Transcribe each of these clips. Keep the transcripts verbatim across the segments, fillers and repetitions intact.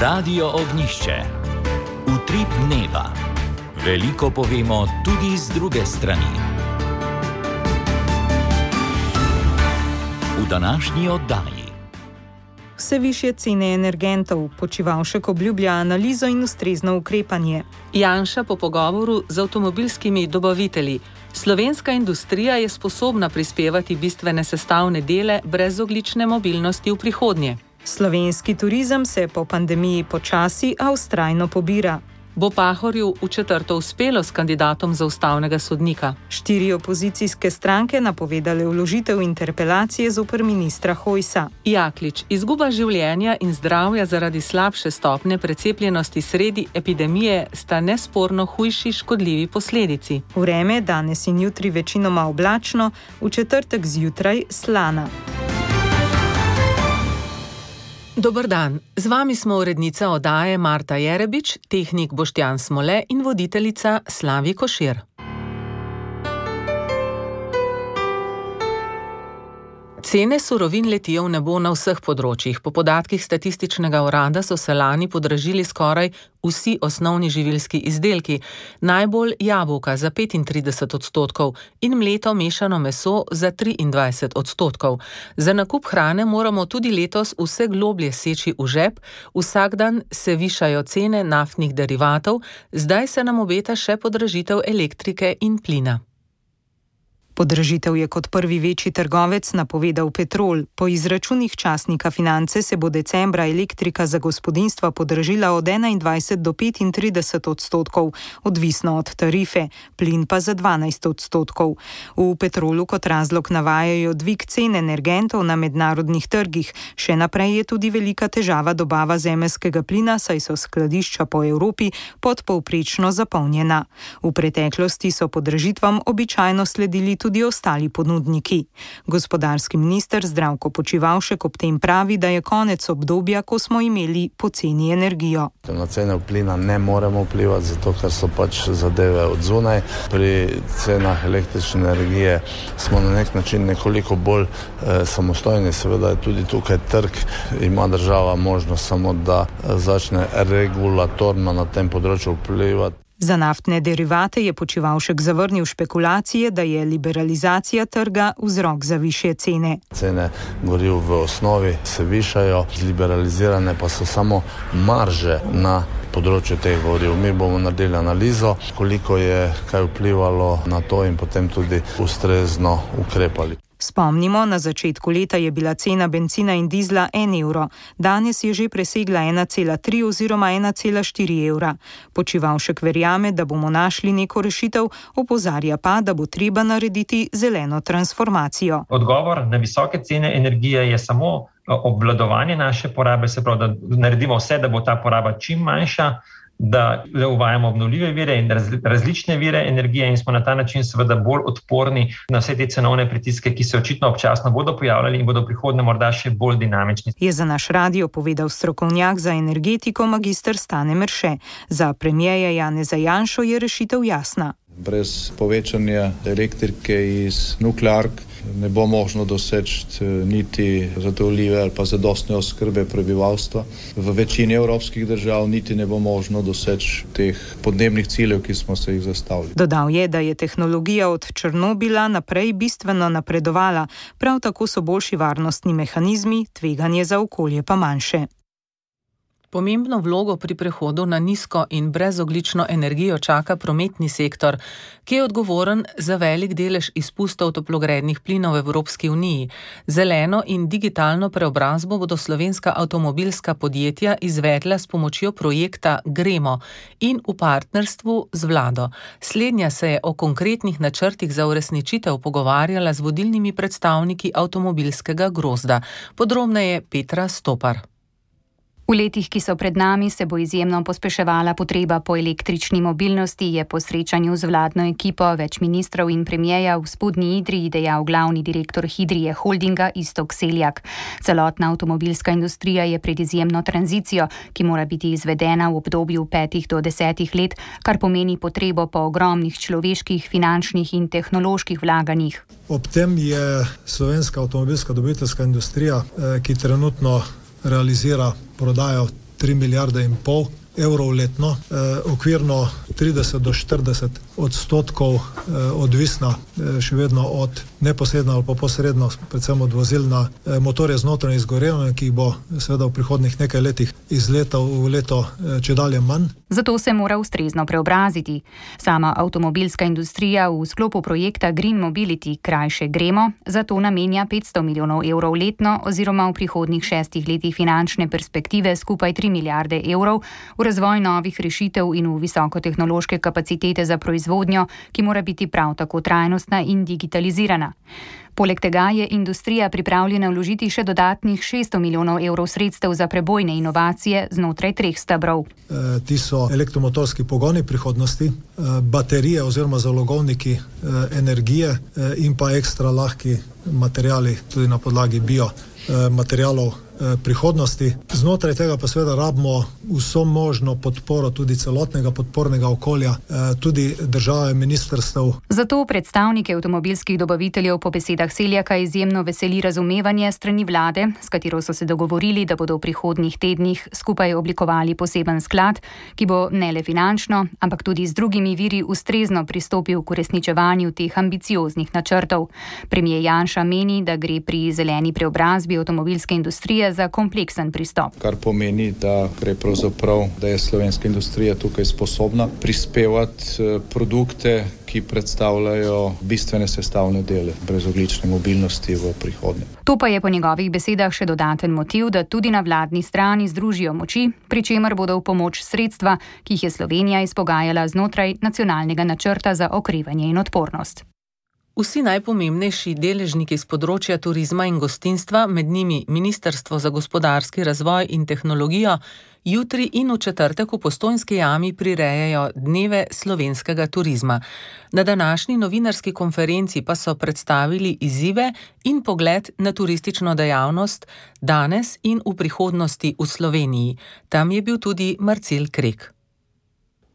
Radio Ognjišče. Utrip dneva. Veliko povemo tudi z druge strani. V današnji oddaji. Vse višje cene energentov, Počivalšek obljublja analizo in ustrezno ukrepanje. Janša po pogovoru z avtomobilskimi dobavitelji. Slovenska industrija je sposobna prispevati bistvene sestavne dele brezogljične mobilnosti v prihodnje. Slovenski turizem se po pandemiji počasi, a vztrajno pobira. Bo Pahorju v četrto uspelo s kandidatom za ustavnega sodnika? Štiri opozicijske stranke napovedale vložitev interpelacije zoper ministra Hojsa. Jaklič, izguba življenja in zdravja zaradi slabše stopnje precepljenosti sredi epidemije sta nesporno hujši škodljivi posledici. Vreme danes in jutri večinoma oblačno, v četrtek zjutraj slana. Dober dan, z vami smo urednica oddaje Marta Jerebič, tehnik Boštjan Smole in voditeljica Slavi Košir. Cene surovin letijo v nebo na vseh področjih. Po podatkih statističnega urada so se lani podražili skoraj vsi osnovni živilski izdelki, najbolj jabolka za petintrideset odstotkov in mleto mešano meso za triindvajset odstotkov. Za nakup hrane moramo tudi letos vse globlje seči v žep, vsak dan se višajo cene naftnih derivatov, zdaj se nam obeta še podražitev elektrike in plina. Podražitev je kot prvi večji trgovec napovedal Petrol. Po izračunih časnika Finance se bo decembra elektrika za gospodinjstva podražila od enaindvajset do petintrideset odstotkov, odvisno od tarife, plin pa za dvanajst odstotkov. V Petrolu kot razlog navajajo dvig cen energentov na mednarodnih trgih. Še naprej je tudi velika težava dobava zemeljskega plina, saj so skladišča po Evropi podpovprečno zapolnjena. V preteklosti so podražitvam običajno sledili tudi ostali ponudniki. Gospodarski minister Zdravko Počivalšek ob tem pravi, da je konec obdobja, ko smo imeli poceni energijo. Na cene plina ne moremo vplivati, zato ker so pač zadeve od zunaj. Pri cenah električne energije smo na nek način nekoliko bolj eh, samostojni. Seveda je tudi tukaj trg, ima država možnost samo, da začne regulatorno na tem področju vplivati. Za naftne derivate je Počivalšek zavrnil špekulacije, da je liberalizacija trga vzrok za višje cene. Cene goriv v osnovi se višajo, liberalizirane pa so samo marže na področju teh goriv. Mi bomo naredili analizo, koliko je kaj vplivalo na to in potem tudi ustrezno ukrepali. Spomnimo, na začetku leta je bila cena bencina in dizla en evro, danes je že presegla ena cela tri oziroma ena cela štiri evra. Počivalšek verjame, da bomo našli neko rešitev, opozarja pa, da bo treba narediti zeleno transformacijo. Odgovor na visoke cene energije je samo obvladovanje naše porabe, se pravi, da naredimo vse, da bo ta poraba čim manjša, da uvajamo obnovljive vire in različne vire energije in smo na ta način seveda bolj odporni na vse te cenovne pritiske, ki se očitno občasno bodo pojavljali in bodo v prihodnje morda še bolj dinamični. Je za naš radio povedal strokovnjak za energetiko magister Stane Merše. Za premierja Janeza Janšo je rešitev jasna. Brez povečanja elektrike iz nukleark ne bo možno doseči niti zadovoljive ali pa zadostne oskrbe prebivalstva. V večini evropskih držav niti ne bo možno doseči teh podnebnih ciljev, ki smo se jih zastavili. Dodal je, da je tehnologija od Černobila naprej bistveno napredovala, prav tako so boljši varnostni mehanizmi, tveganje za okolje pa manjše. Pomembno vlogo pri prehodu na nizko in brezogljično energijo čaka prometni sektor, ki je odgovoren za velik delež izpustov toplogrednih plinov v Evropski uniji. Zeleno in digitalno preobrazbo bodo slovenska avtomobilska podjetja izvedla s pomočjo projekta Gremo in v partnerstvu z vlado. Slednja se je o konkretnih načrtih za uresničitev pogovarjala z vodilnimi predstavniki avtomobilskega grozda. Podrobneje Petra Stopar. V letih, ki so pred nami, se bo izjemno pospeševala potreba po električni mobilnosti, je po srečanju z vladno ekipo več ministrov in premierja v Spodnji Idriji dejal glavni direktor Hidrije Holdinga Iztok Seljak. Celotna avtomobilska industrija je pred izjemno tranzicijo, ki mora biti izvedena v obdobju petih do desetih let, kar pomeni potrebo po ogromnih človeških, finančnih in tehnoloških vlaganjih. Ob tem je slovenska avtomobilska dobaviteljska industrija, ki trenutno realizira prodajo tri milijarde in pol evrov letno, eh, okvirno trideset do štirideset odstotkov eh, odvisna eh, še vedno od neposredno ali pa posredno, predvsem od vozil na eh, motorje z notranjim izgorevanjem, ki jih bo seveda v prihodnih nekaj letih iz leta v leto eh, čedalje manj. Zato se mora ustrezno preobraziti. Sama avtomobilska industrija v sklopu projekta Green Mobility, krajše Gremo, zato namenja petsto milijonov evrov letno oziroma v prihodnih šestih letih finančne perspektive skupaj tri milijarde evrov v razvoj novih rešitev in v visokotehnološke kapacitete za proizvodnjo, ki mora biti prav tako trajnostna in digitalizirana. Poleg tega je industrija pripravljena vložiti še dodatnih šeststo milijonov evrov sredstev za prebojne inovacije znotraj treh stebrov. E, ti so elektromotorski pogoni prihodnosti, e, baterije oziroma zalogovniki e, energije e, in pa ekstra lahki materijali, tudi na podlagi bio e, materijalov prihodnosti. Znotraj tega pa seveda rabimo vso možno podporo tudi celotnega podpornega okolja, tudi države, ministrstev. Zato predstavniki avtomobilskih dobaviteljev po besedah Seljaka izjemno veseli razumevanje strani vlade, s katero so se dogovorili, da bodo v prihodnjih tednih skupaj oblikovali poseben sklad, ki bo ne le finančno, ampak tudi z drugimi viri ustrezno pristopil k uresničevanju teh ambicioznih načrtov. Premier Janša meni, da gre pri zeleni preobrazbi avtomobilske industrije za kompleksen pristop. Kar pomeni, da gre pravzaprav, da je slovenska industrija tukaj sposobna prispevati produkte, ki predstavljajo bistvene sestavne dele brezogljične mobilnosti v prihodnje. To pa je po njegovih besedah še dodaten motiv, da tudi na vladni strani združijo moči, pri čemer bodo v pomoč sredstva, ki jih je Slovenija izpogajala znotraj nacionalnega načrta za okrevanje in odpornost. Vsi najpomembnejši deležniki z področja turizma in gostinstva, med njimi Ministrstvo za gospodarski razvoj in tehnologijo, jutri in v četrtek v Postojnski jami prirejajo dneve slovenskega turizma. Na današnji novinarski konferenci pa so predstavili izzive in pogled na turistično dejavnost danes in v prihodnosti v Sloveniji. Tam je bil tudi Marcel Krek.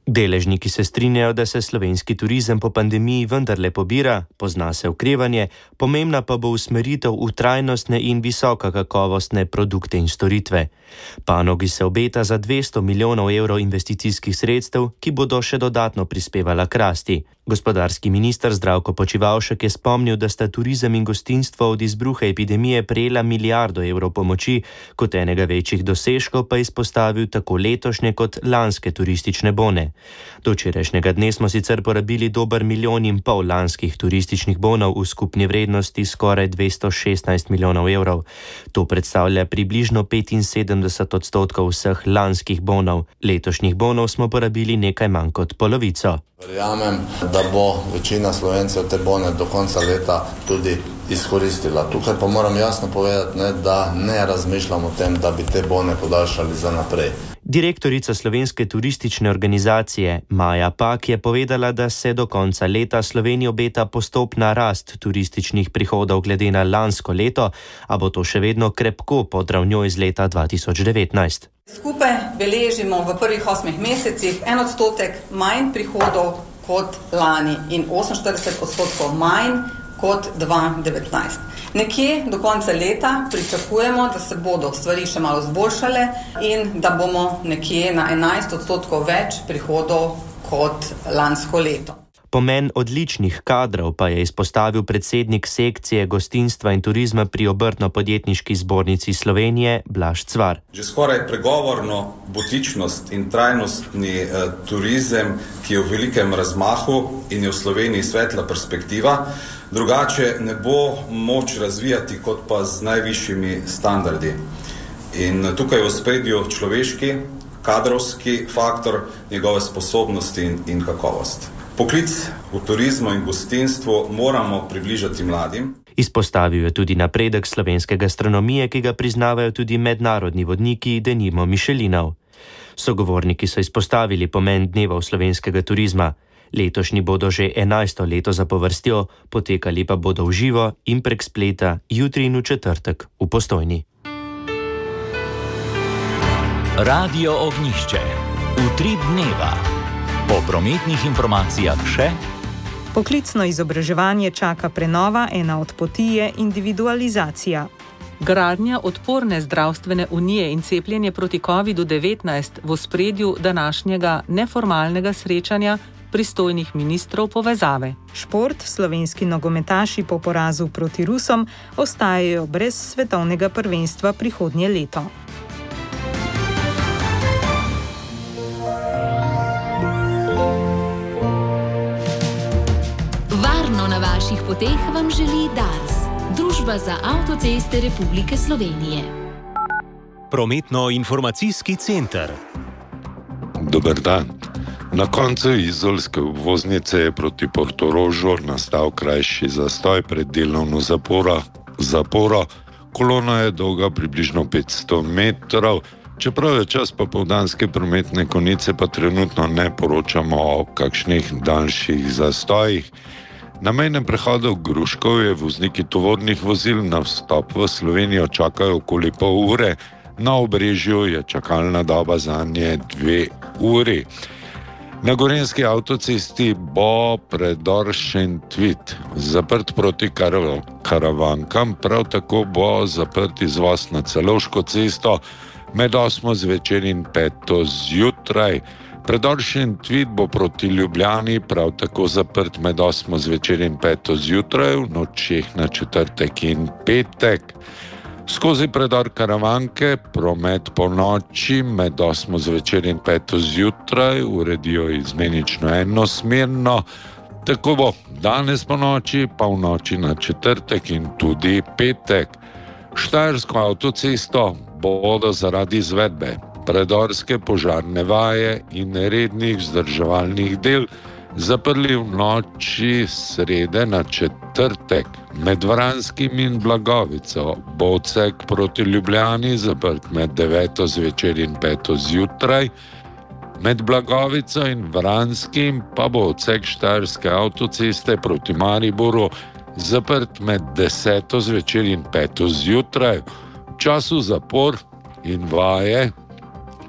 Deležniki se strinjajo, da se slovenski turizem po pandemiji vendarle pobira, pozna se okrevanje, pomembna pa bo usmeritev v trajnostne in visokokakovostne produkte in storitve. Panogi se obeta za dvesto milijonov evrov investicijskih sredstev, ki bodo še dodatno prispevala k rasti. Gospodarski minister Zdravko Počivalšek je spomnil, da sta turizem in gostinstvo od izbruha epidemije prejela milijardo evrov pomoči, kot enega večjih dosežkov pa izpostavil tako letošnje kot lanske turistične bone. Do včerajšnjega dne smo sicer porabili dober milijon in pol lanskih turističnih bonov v skupni vrednosti skoraj dvesto šestnajst milijonov evrov. To predstavlja približno petinsedemdeset odstotkov vseh lanskih bonov. Letošnjih bonov smo porabili nekaj manj kot polovico. Verjamem, da bo večina Slovencev te bone do konca leta tudi izkoristila. Tukaj pa moram jasno povedati, ne, da ne razmišljam o tem, da bi te bone podaljšali za naprej. Direktorica Slovenske turistične organizacije Maja Pak je povedala, da se do konca leta Sloveniji obeta postopna rast turističnih prihodov glede na lansko leto, a bo to še vedno krepko pod ravnjo iz leta dva tisoč devetnajst. Skupaj beležimo v prvih osmih mesecih en odstotek manj prihodov kot lani in oseminštirideset odstotkov manj kot dva tisoč devetnajst. Nekje do konca leta pričakujemo, da se bodo stvari še malo zboljšale in da bomo nekje na enajst odstotkov več prihodov kot lansko leto. Pomen odličnih kadrov pa je izpostavil predsednik sekcije gostinstva in turizma pri Obrtno-podjetniški zbornici Slovenije Blaž Cvar. Že skoraj pregovorno butičnost in trajnostni eh, turizem, ki je v velikem razmahu in je v Sloveniji svetla perspektiva, drugače ne bo moč razvijati kot pa z najvišjimi standardi. In tukaj v ospredju človeški, kadrovski faktor, njegove sposobnosti in, in kakovost. Poklic v turizmu in gostinstvu moramo približati mladim. Izpostavil je tudi napredek slovenske gastronomije, ki ga priznavajo tudi mednarodni vodniki, denimo Michelinov. Sogovorniki so izpostavili pomen dnevov slovenskega turizma. Letošnji bodo že enajsto leto zapovrstjo, potekali pa bodo v živo in prek spleta jutri in v četrtek v Postojni. Radio Ognjišče. Utrip dneva. Po prometnih informacijah še. Poklicno izobraževanje čaka prenova, ena od poti je individualizacija. Gradnja odporne zdravstvene unije in cepljenje proti kovidu devetnajst v ospredju današnjega neformalnega srečanja pristojnih ministrov povezave. Šport, slovenski nogometaši po porazu proti Rusom ostajajo brez svetovnega prvenstva prihodnje leto. Varno na vaših poteh vam želi Dars, Družba za avtoceste Republike Slovenije. Prometno-informacijski center. Dober dan. Na koncu izolske obvoznice je proti Portorožu nastal krajši zastoj pred delovno zaporo. zaporo. Kolona je dolga približno petsto metrov, čeprav je čas popoldanske prometne konice, pa trenutno ne poročamo o kakšnih daljših zastojih. Na mejnem prehodu Gruškovje vozniki tovornih vozil na vstop v Slovenijo čakajo okoli pol ure, na Obrežju je čakalna doba zanje dve uri. Na gorenjski avtocesti bo predor Šentvid zaprt proti kar- karavankam, prav tako bo zaprt izvoz na Celovško cesto med osmo zvečer in peto zjutraj. Predor Šentvid bo proti Ljubljani prav tako zaprt med osmo zvečer in peto zjutraj, v nočeh na četrtek in petek. Skozi predor Karavanke promet po noči med osmo zvečer in peto zjutraj uredijo izmenično enosmerno. Tako bo danes po noči, pa v noči na četrtek in tudi petek. Štajersko avtocesto bodo zaradi izvedbe predorske požarne vaje in rednih vzdrževalnih del zaprli v noči srede na četrtek. Med Vranskim in Blagovico bo odsek proti Ljubljani zaprt med deveto zvečer in peto zjutraj. Med Blagovico in Vranskim pa bo odsek Štajerske avtoceste proti Mariboru zaprt med deseto zvečer in peto zjutraj. V času zapor in vaje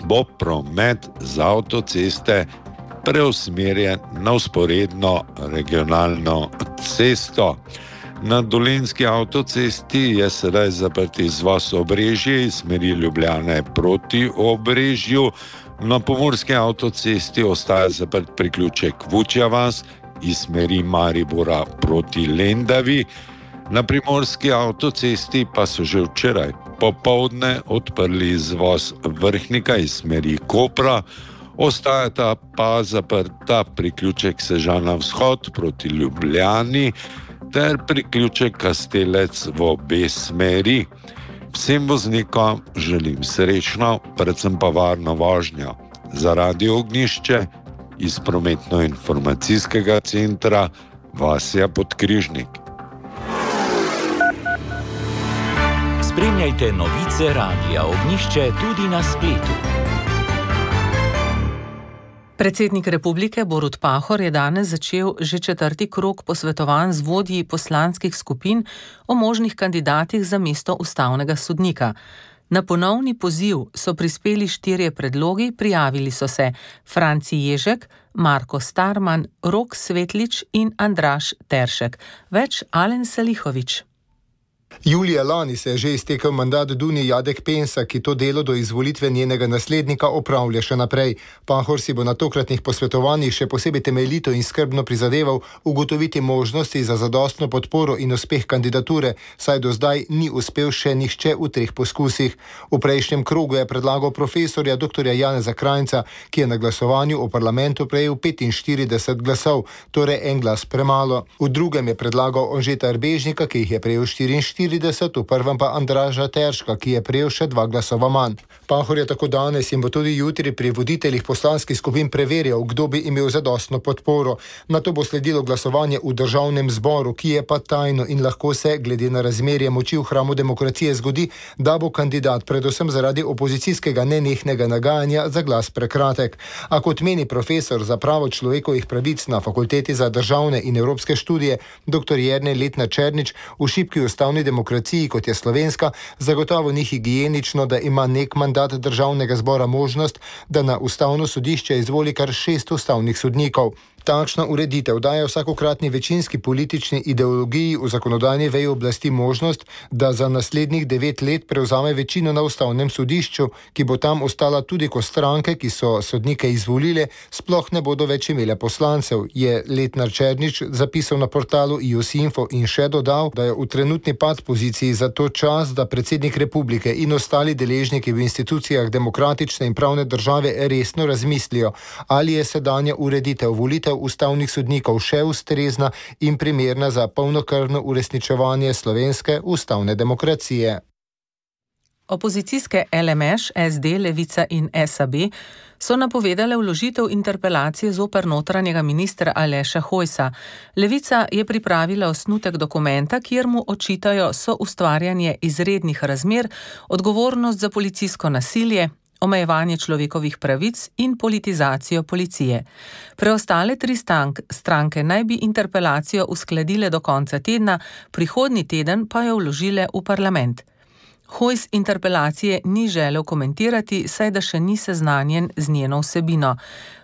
bo promet z avtoceste preusmerjen na vzporedno regionalno cesto. Na Dolenjski avtocesti je sedaj zaprt izvoz Obrežje iz smeri Ljubljane proti Obrežju. Na Pomurski avtocesti ostaja zaprt priključek Vučja vas iz smeri Maribora proti Lendavi. Na Primorski avtocesti pa so že včeraj popoldne odprli izvoz Vrhnika iz smeri Kopra. Ostajata pa zaprta priključek Sežana vzhod proti Ljubljani ter priključek Kastelec v obe smeri. Vsem voznikom želim srečno, predvsem pa varno vožnjo. Za Radio Ognjišče iz prometno-informacijskega centra Vasja Podkrižnik. Spremljajte novice Radia Ognjišče tudi na spletu. Predsednik republike Borut Pahor je danes začel že četrti krog posvetovanj z vodji poslanskih skupin o možnih kandidatih za mesto ustavnega sodnika. Na ponovni poziv so prispeli štirje predlogi, prijavili so se Franci Ježek, Marko Starman, Rok Svetlič in Andraž Teršek. Več Alen Salihovič. Julija lani se je že iztekel mandat Dunji Jadek Pensa, ki to delo do izvolitve njenega naslednika opravlja še naprej. Pahor si bo na tokratnih posvetovanjih še posebej temeljito in skrbno prizadeval ugotoviti možnosti za zadostno podporo in uspeh kandidature, saj do zdaj ni uspel še nihče v treh poskusih. V prejšnjem krogu je predlagal profesorja doktorja Janeza Krajnca, ki je na glasovanju v parlamentu prejel petinštirideset glasov, torej en glas premalo. V drugem je predlagal Anžeta Erbežnika, ki jih je prejel štiriinštirideset, v prvem pa Andraža Terška, ki je prejel še dva glasova manj. Pahor je tako danes in bo tudi jutri pri voditeljih poslanskih skupin preverjal, kdo bi imel zadostno podporo. Nato bo sledilo glasovanje v državnem zboru, ki je pa tajno in lahko se, glede na razmerje moči v hramu demokracije, zgodi, da bo kandidat predvsem zaradi opozicijskega nenehnega nagajanja za glas prekratek. A kot meni profesor za pravo človekovih pravic na Fakulteti za državne in evropske študije doktor Jernej Letnar Černič, v šibki ustavni demokraciji, kot je slovenska, zagotovo ni higienično, da ima nek mandat državnega zbora možnost, da na ustavno sodišče izvoli kar šest ustavnih sodnikov. Takšna ureditev daje vsakokratni večinski politični ideologiji v zakonodajni veji oblasti možnost, da za naslednjih devet let prevzame večino na ustavnem sodišču, ki bo tam ostala tudi, ko stranke, ki so sodnike izvolile, sploh ne bodo več imele poslancev, je Letnar Černič zapisal na portalu I O S Info in še dodal, da je v trenutni pad poziciji za to čas, da predsednik republike in ostali deležniki v institucijah demokratične in pravne države resno razmislijo, ali je sedanja ureditev volitev ustavnih sodnikov še ustrezna in primerna za polnokrvno uresničevanje slovenske ustavne demokracije. Opozicijske L M Š, S D, Levica in S A B so napovedale vložitev interpelacije zoper notranjega ministra Aleša Hojsa. Levica je pripravila osnutek dokumenta, kjer mu očitajo soustvarjanje izrednih razmer, odgovornost za policijsko nasilje, omejevanje človekovih pravic in politizacijo policije. Preostale tri stank, stranke naj bi interpelacijo uskladile do konca tedna, prihodnji teden pa jo vložile v parlament. Hojs interpelacije ni želel komentirati, saj da še ni seznanjen z njeno vsebino.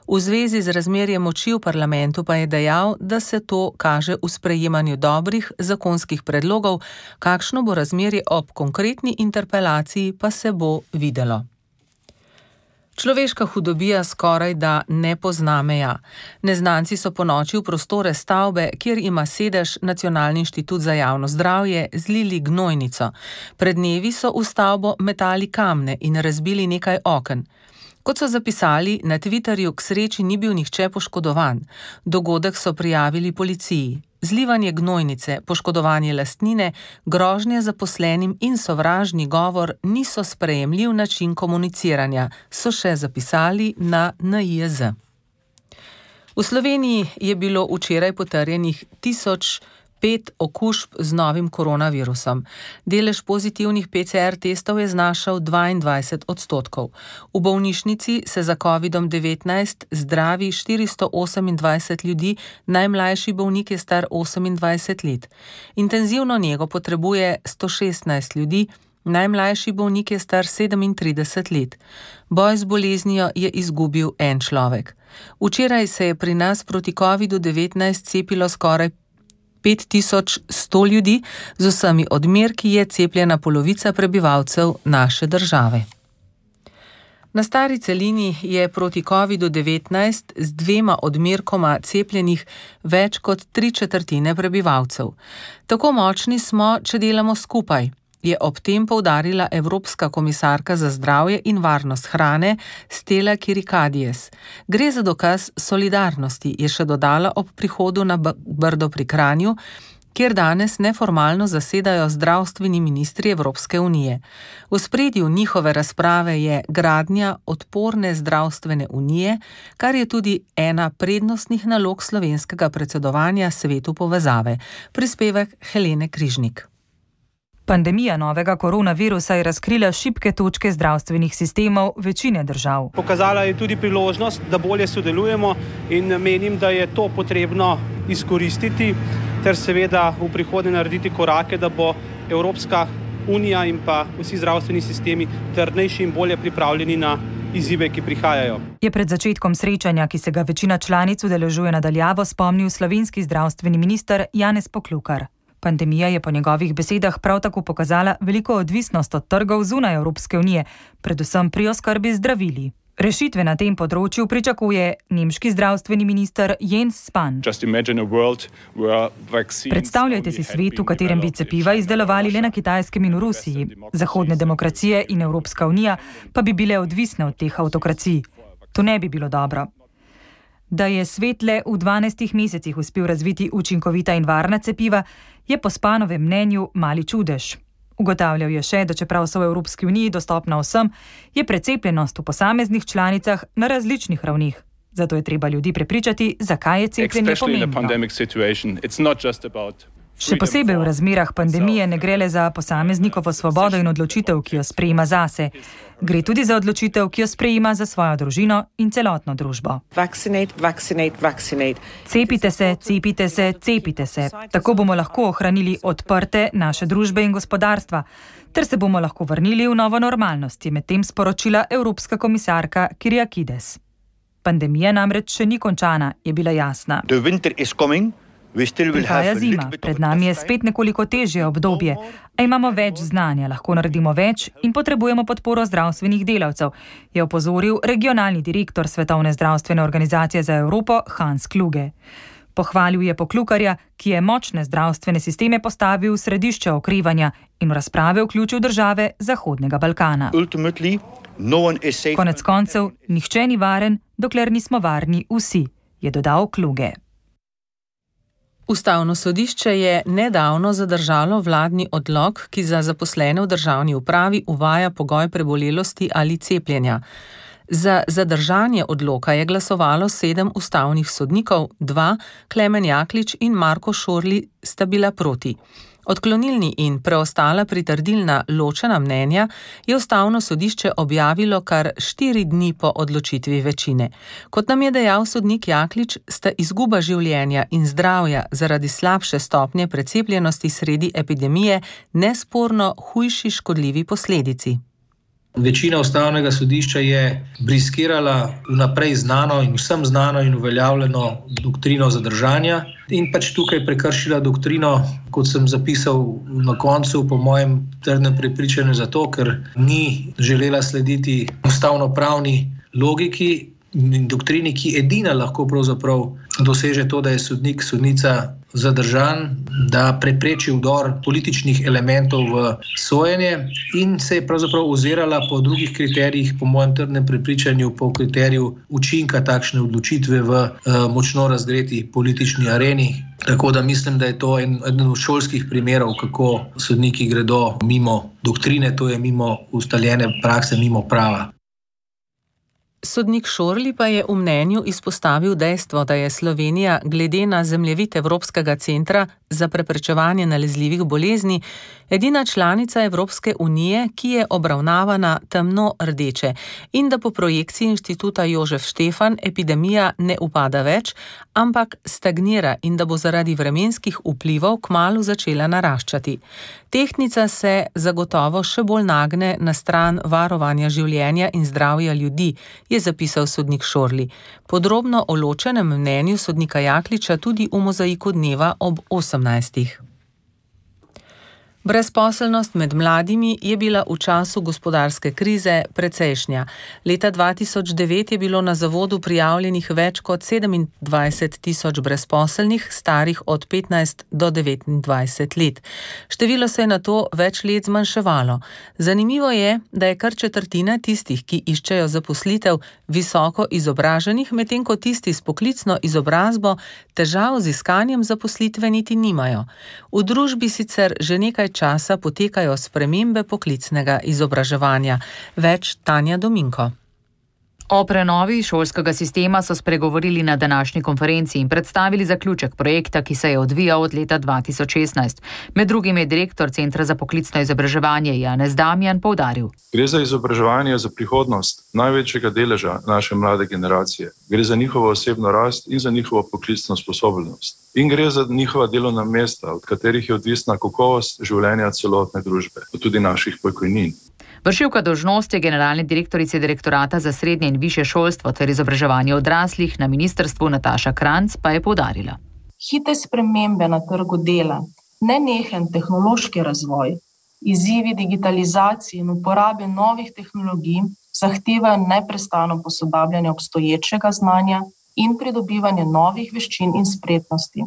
V zvezi z razmerjem moči v parlamentu pa je dejal, da se to kaže v sprejemanju dobrih zakonskih predlogov, kakšno bo razmerje ob konkretni interpelaciji pa se bo videlo. Človeška hudobija skoraj da ne pozna meja. Neznanci so ponoči v prostore stavbe, kjer ima sedež Nacionalni inštitut za javno zdravje, zlili gnojnico. Pred dnevi so v stavbo metali kamne in razbili nekaj oken. Kot so zapisali, na Twitterju k sreči ni bil nihče poškodovan. Dogodek so prijavili policiji. Zlivanje gnojnice, poškodovanje lastnine, grožnje zaposlenim in sovražni govor niso sprejemljiv način komuniciranja, so še zapisali na N I J Z. V Sloveniji je bilo včeraj potrjenih tisoč pet okužb z novim koronavirusom. Delež pozitivnih P C R testov je znašal dvaindvajset odstotkov. V bolnišnici se za kovidom devetnajst zdravi štiristo osemindvajset ljudi, najmlajši bolnik je star osemindvajset let. Intenzivno nego potrebuje sto šestnajst ljudi, najmlajši bolnik je star sedemintrideset let. Boj z boleznijo je izgubil en človek. Včeraj se je pri nas proti kovidu devetnajst cepilo skoraj pet tisoč sto ljudi, z vsemi odmerki je cepljena polovica prebivalcev naše države. Na stari celini je proti kovidu devetnajst z dvema odmerkoma cepljenih več kot tri četrtine prebivalcev. Tako močni smo, če delamo skupaj, je ob tem poudarila Evropska komisarka za zdravje in varnost hrane Stella Kyriakides. Gre za dokaz solidarnosti, je še dodala ob prihodu na Brdo pri Kranju, kjer danes neformalno zasedajo zdravstveni ministri Evropske unije. V ospredju njihove razprave je gradnja odporne zdravstvene unije, kar je tudi ena prednostnih nalog slovenskega predsedovanja Svetu povezave. Prispevek Helene Križnik. Pandemija novega koronavirusa je razkrila šibke točke zdravstvenih sistemov večine držav. Pokazala je tudi priložnost, da bolje sodelujemo in menim, da je to potrebno izkoristiti ter seveda v prihodnje narediti korake, da bo Evropska unija in pa vsi zdravstveni sistemi trdnejši in bolje pripravljeni na izzive, ki prihajajo. Je pred začetkom srečanja, ki se ga večina članic udeležuje nadaljavo, spomnil slovenski zdravstveni minister Janez Poklukar. Pandemija je po njegovih besedah prav tako pokazala veliko odvisnost od trgov zunaj Evropske unije, predvsem pri oskrbi zdravili. Rešitve na tem področju pričakuje nemški zdravstveni minister Jens Spahn. Predstavljajte si svet, v katerem bi cepiva izdelovali le na Kitajskem in v Rusiji. Zahodne demokracije in Evropska unija pa bi bile odvisne od teh avtokracij. To ne bi bilo dobro. Da je svet le v dvanajstih mesecih uspel razviti učinkovita in varna cepiva, je po Spahnovem mnenju mali čudež. Ugotavljal je še, da čeprav so v Evropski uniji dostopna vsem, je precepljenost v posameznih članicah na različnih ravnih. Zato je treba ljudi prepričati, zakaj je cepljenje pomembno. Še posebej v razmerah pandemije ne gre le za posameznikovo svobodo in odločitev, ki jo sprejema zase. Gre tudi za odločitev, ki jo sprejema za svojo družino in celotno družbo. Vaccinate, vaccinate, vaccinate. Cepite se, cepite se, cepite se. Tako bomo lahko ohranili odprte naše družbe in gospodarstva, ter se bomo lahko vrnili v novo normalnost, je medtem sporočila Evropska komisarka Kyriakides. Pandemija namreč še ni končana, je bila jasna. Prihaja zima, pred nami je spet nekoliko težje obdobje, a imamo več znanja, lahko naredimo več in potrebujemo podporo zdravstvenih delavcev, je opozoril regionalni direktor Svetovne zdravstvene organizacije za Evropo Hans Kluge. Pohvalil je Poklukarja, ki je močne zdravstvene sisteme postavil v središče okrevanja in v razprave vključil države Zahodnega Balkana. Konec koncev, nihče ni varen, dokler nismo varni vsi, je dodal Kluge. Ustavno sodišče je nedavno zadržalo vladni odlok, ki za zaposlene v državni upravi uvaja pogoj prebolelosti ali cepljenja. Za zadržanje odloka je glasovalo sedem ustavnih sodnikov, dva, Klemen Jaklič in Marko Šorli, sta bila proti. Odklonilni in preostala pritrdilna ločena mnenja je ustavno sodišče objavilo kar štiri dni po odločitvi večine. Kot nam je dejal sodnik Jaklič, sta izguba življenja in zdravja zaradi slabše stopnje precepljenosti sredi epidemije nesporno hujši škodljivi posledici. Večina ustavnega sodišča je briskirala vnaprej znano in vsem znano in uveljavljeno doktrino zadržanja in pač tukaj prekršila doktrino, kot sem zapisal na koncu, po mojem trdnem prepričanju zato, ker ni želela slediti ustavnopravni logiki in doktrini, ki edina lahko pravzaprav doseže to, da je sodnik, sodnica zadržan, da prepreči vdor političnih elementov v sojenje in se je pravzaprav ozirala po drugih kriterijih, po mojem trdnem prepričanju, po kriteriju učinka takšne odločitve v uh, močno razgreti politični areni. Tako da mislim, da je to en, eden od šolskih primerov, kako sodniki gredo mimo doktrine, to je mimo ustaljene prakse, mimo prava. Sodnik Šorli pa je v mnenju izpostavil dejstvo, da je Slovenija glede na zemljevid Evropskega centra za preprečevanje nalezljivih bolezni edina članica Evropske unije, ki je obravnavana temno rdeče in da po projekciji Inštituta Jožef Štefan epidemija ne upada več, ampak stagnira in da bo zaradi vremenskih vplivov kmalu začela naraščati. Tehtnica se zagotovo še bolj nagne na stran varovanja življenja in zdravja ljudi, je zapisal sodnik Šorli. Podrobno o ločenem mnenju sodnika Jakliča tudi v mozaiku dneva ob osemnajstih. Brezposelnost med mladimi je bila v času gospodarske krize precejšnja. Leta dva tisoč devet je bilo na zavodu prijavljenih več kot sedemindvajset tisoč brezposelnih, starih od petnajst do devetindvajset let. Število se je nato več let zmanjševalo. Zanimivo je, da je kar četrtina tistih, ki iščejo zaposlitev, visoko izobraženih, medtem ko tisti s poklicno izobrazbo težav z iskanjem zaposlitve niti nimajo. V družbi sicer že nekaj časa potekajo spremembe poklicnega izobraževanja. Več Tanja Dominko. O prenovi šolskega sistema so spregovorili na današnji konferenci in predstavili zaključek projekta, ki se je odvijal od leta dva tisoč šestnajst. Med drugim je direktor Centra za poklicno izobraževanje Janez Damjan poudaril. Gre za izobraževanje za prihodnost največjega deleža naše mlade generacije. Gre za njihovo osebno rast in za njihovo poklicno sposobnost. In gre za njihova delovna mesta, od katerih je odvisna kakovost življenja celotne družbe, pa tudi naših pokojnin. Vršilka dolžnosti generalne direktorice Direktorata za srednje in višje šolstvo ter izobraževanje odraslih na ministrstvu Nataša Kranc pa je poudarila. Hitre spremembe na trgu dela, nenehen tehnološki razvoj, izzivi digitalizacije in uporabe novih tehnologij zahtevajo neprestano posodabljanje obstoječega znanja in pridobivanje novih veščin in spretnosti.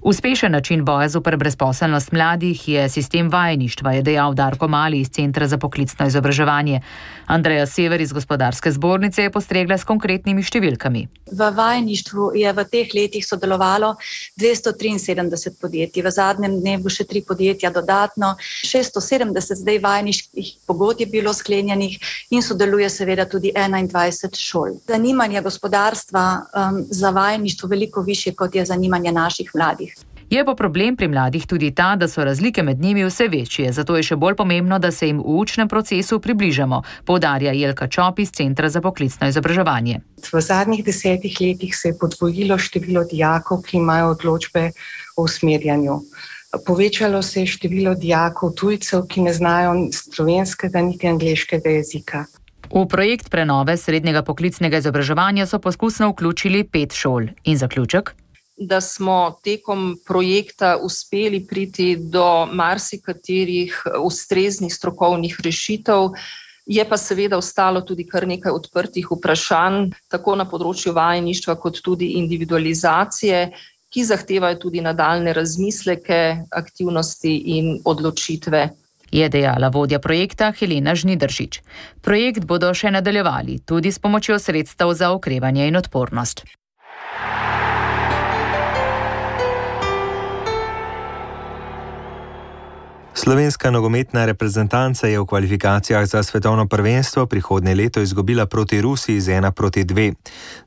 Uspešen način boja zoper brezposelnost mladih je sistem vajeništva, je dejal Darko Mali iz Centra za poklicno izobraževanje. Andreja Sever iz Gospodarske zbornice je postregla s konkretnimi številkami. V vajeništvu je v teh letih sodelovalo dvesto triinsedemdeset podjetij, v zadnjem dnevu še tri podjetja dodatno, šeststo sedemdeset zdaj vajeniških pogodb je bilo sklenjenih in sodeluje seveda tudi enaindvajset šol. Zanimanje gospodarstva um, za vajeništvo veliko višje, kot je zanimanje naših mladih. Je pa problem pri mladih tudi ta, da so razlike med njimi vse večje, zato je še bolj pomembno, da se jim v učnem procesu približamo, poudarja Jelka Čop iz Centra za poklicno izobraževanje. V zadnjih desetih letih se je podvojilo število dijakov, ki imajo odločbe o usmerjanju. Povečalo se je število dijakov tujcev, ki ne znajo slovenskega niti angleškega jezika. V projekt prenove srednjega poklicnega izobraževanja so poskusno vključili pet šol. In zaključek? Da smo tekom projekta uspeli priti do marsikaterih ustreznih strokovnih rešitev, je pa seveda ostalo tudi kar nekaj odprtih vprašanj, tako na področju vajeništva kot tudi individualizacije, ki zahtevajo tudi nadaljne razmisleke, aktivnosti in odločitve. Je dejala vodja projekta Helena Žnidaršič. Projekt bodo še nadaljevali, tudi s pomočjo sredstev za okrevanje in odpornost. Slovenska nogometna reprezentanca je v kvalifikacijah za svetovno prvenstvo prihodnje leto izgubila proti Rusiji z ena proti dve.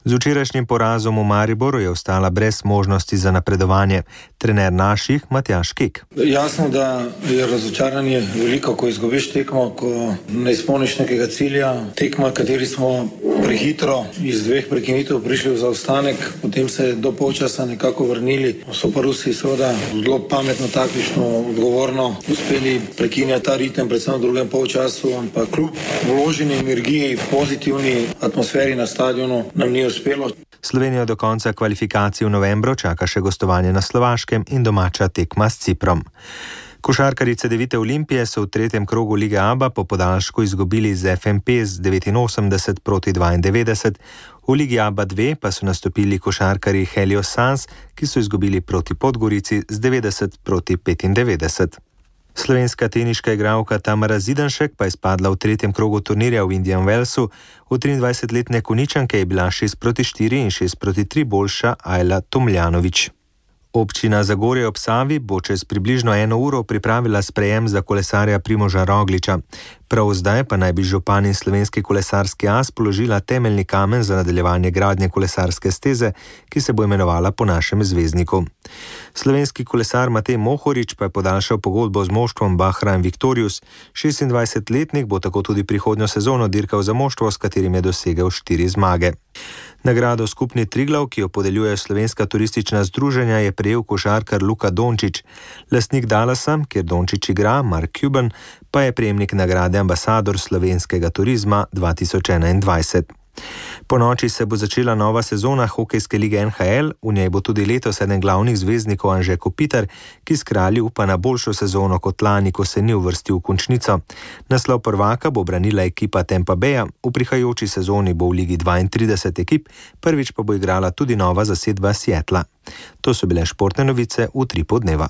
Z včerajšnjim porazom v Mariboru je ostala brez možnosti za napredovanje. Trener naših Matjaž Kek. Jasno, da je razočaranje veliko, ko izgubiš tekmo, ko ne izpolniš nekega cilja. Tekma, kateri smo prehitro iz dveh prekinitev prišli v zaostanek, potem se do polčasa nekako vrnili. So pa Rusi seveda zelo pametno, taktično, odgovorno uspeli prekinjati ta ritem, predvsem v drugem polčasu, ampak kljub vloženi energiji, pozitivni atmosferi na stadionu nam ni uspelo. Slovenijo do konca kvalifikacij v novembru čaka še gostovanje na Slovaškem in domača tekma s Ciprom. Košarkarice Devite Olimpije so v tretjem krogu Lige Aba po podaljšku izgubili z F M P z devetinosemdeset proti dvaindevetdeset, v Ligi Aba dve pa so nastopili košarkarji Helios Sans, ki so izgubili proti Podgorici z devetdeset proti petindevetdeset. Slovenska teniška igralka Tamara Zidanšek pa je spadla v tretjem krogu turnirja v Indian Wellsu. V triindvajsetletne Konjičanke je bila šest proti štiri in šest proti tri boljša Ajla Tomljanović. Občina Zagorje ob Savi bo čez približno eno uro pripravila sprejem za kolesarja Primoža Rogliča. Prav zdaj pa naj bi župan in Slovenski kolesarski as položila temeljni kamen za nadaljevanje gradnje kolesarske steze, ki se bo imenovala po našem zvezdniku. Slovenski kolesar Matej Mohorič pa je podaljšal pogodbo z moštvom Bahrain Victorious. šestindvajsetletnik bo tako tudi prihodnjo sezono dirkal za moštvo, s katerim je dosegel štiri zmage. Nagrado Skupni Triglav, ki jo podeljuje Slovenska turistična združenja, je prejel košarkar Luka Dončić. Lastnik Dallasa, kjer Dončić igra, Mark Cuban, pa je prejemnik nagrade ambasador slovenskega turizma dva tisoč enaindvajset. Po noči se bo začela nova sezona hokejske lige N H L, v njej bo tudi letos eden glavnih zvezdnikov Anže Kopitar, ki s kralji upa na boljšo sezono kot lani, ko se ni uvrstil v končnico. Naslov prvaka bo branila ekipa Tampa Baya, v prihajajoči sezoni bo v ligi dvaintrideset ekip, prvič pa bo igrala tudi nova zasedba Seattla. To so bile športne novice v Utripu dneva.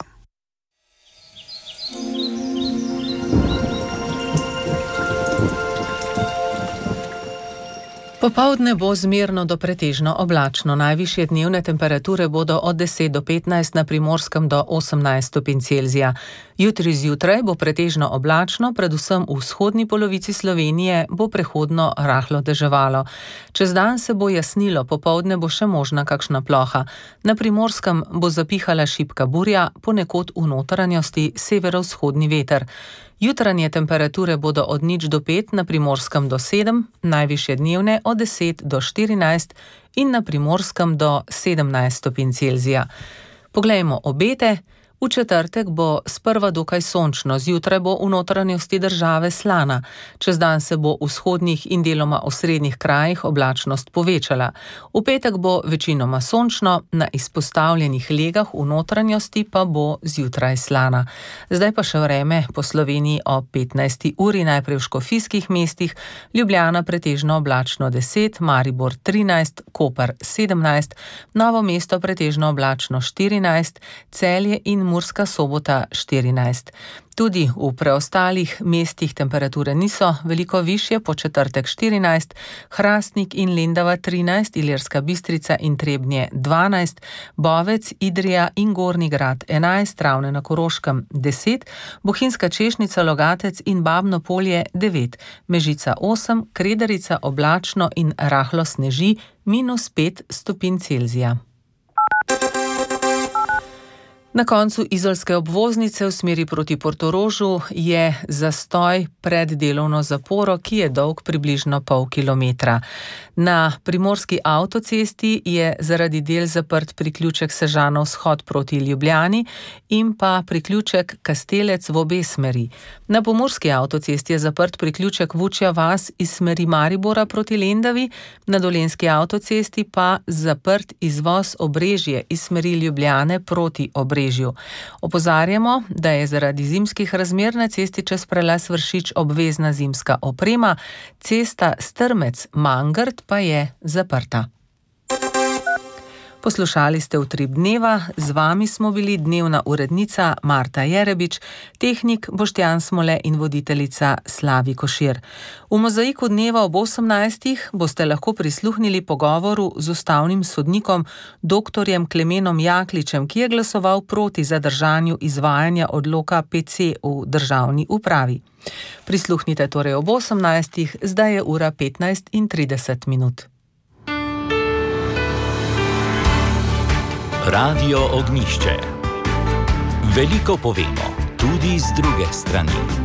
Popoldne bo zmerno do pretežno oblačno. Najvišje dnevne temperature bodo od deset do petnajst, na Primorskem do osemnajst stopinj Celzija. Jutri zjutraj bo pretežno oblačno, predvsem v vzhodni polovici Slovenije bo prehodno rahlo deževalo. Čez dan se bo jasnilo, popoldne bo še možna kakšna ploha. Na Primorskem bo zapihala šibka burja, ponekod v notranjosti severovzhodni veter. Jutranje temperature bodo od nič do pet, na Primorskem do sedem, najvišje dnevne od deset do štirinajst in na Primorskem do sedemnajst stopinj Celzija. Poglejmo obete. V četrtek bo sprva dokaj sončno, zjutraj bo v notranjosti države slana. Čez dan se bo v vzhodnih in deloma osrednjih krajih oblačnost povečala. V petek bo večinoma sončno, na izpostavljenih legah v notranjosti pa bo zjutraj slana. Zdaj pa še vreme po Sloveniji ob petnajsti uri, najprej v škofijskih mestih, Ljubljana pretežno oblačno deset, Maribor trinajst, Koper sedemnajst, Novo mesto pretežno oblačno štirinajst, Celje in Murska Sobota štirinajst. Tudi v preostalih mestih temperature niso veliko višje, po četrtek štirinajst, Hrastnik in Lendava trinajst, Ilirska Bistrica in Trebnje dvanajst, Bovec, Idrija in Gornji Grad enajst, Ravne na Koroškem deset, Bohinjska Češnica, Logatec in Babno Polje devet, Mežica osem, Kredarica oblačno in rahlo sneži, minus pet stopinj Celzija. Na koncu izolske obvoznice v smeri proti Portorožu je zastoj pred delovno zaporo, ki je dolg približno pol kilometra. Na primorski avtocesti je zaradi del zaprt priključek Sežana vzhod proti Ljubljani in pa priključek Kastelec v obe smeri. Na pomurski avtocesti je zaprt priključek Vučja vas iz smeri Maribora proti Lendavi, na dolenjski avtocesti pa zaprt izvoz Obrežje iz smeri Ljubljane proti Obrežju. Opozarjamo, da je zaradi zimskih razmer na cesti čez prelaz Vršič obvezna zimska oprema, cesta Strmec-Mangrt pa je zaprta. Poslušali ste Utrip dneva, z vami smo bili dnevna urednica Marta Jerebič, tehnik Boštjan Smole in voditeljica Slavi Košir. V Mozaiku dneva ob osemnajstih boste lahko prisluhnili pogovoru z ustavnim sodnikom doktorjem Klemenom Jakličem, ki je glasoval proti zadržanju izvajanja odloka P C v državni upravi. Prisluhnite torej ob osemnajstih, zdaj je ura petnajst in trideset minut. Radio Ognjišče. Veliko povemo, tudi z druge strani.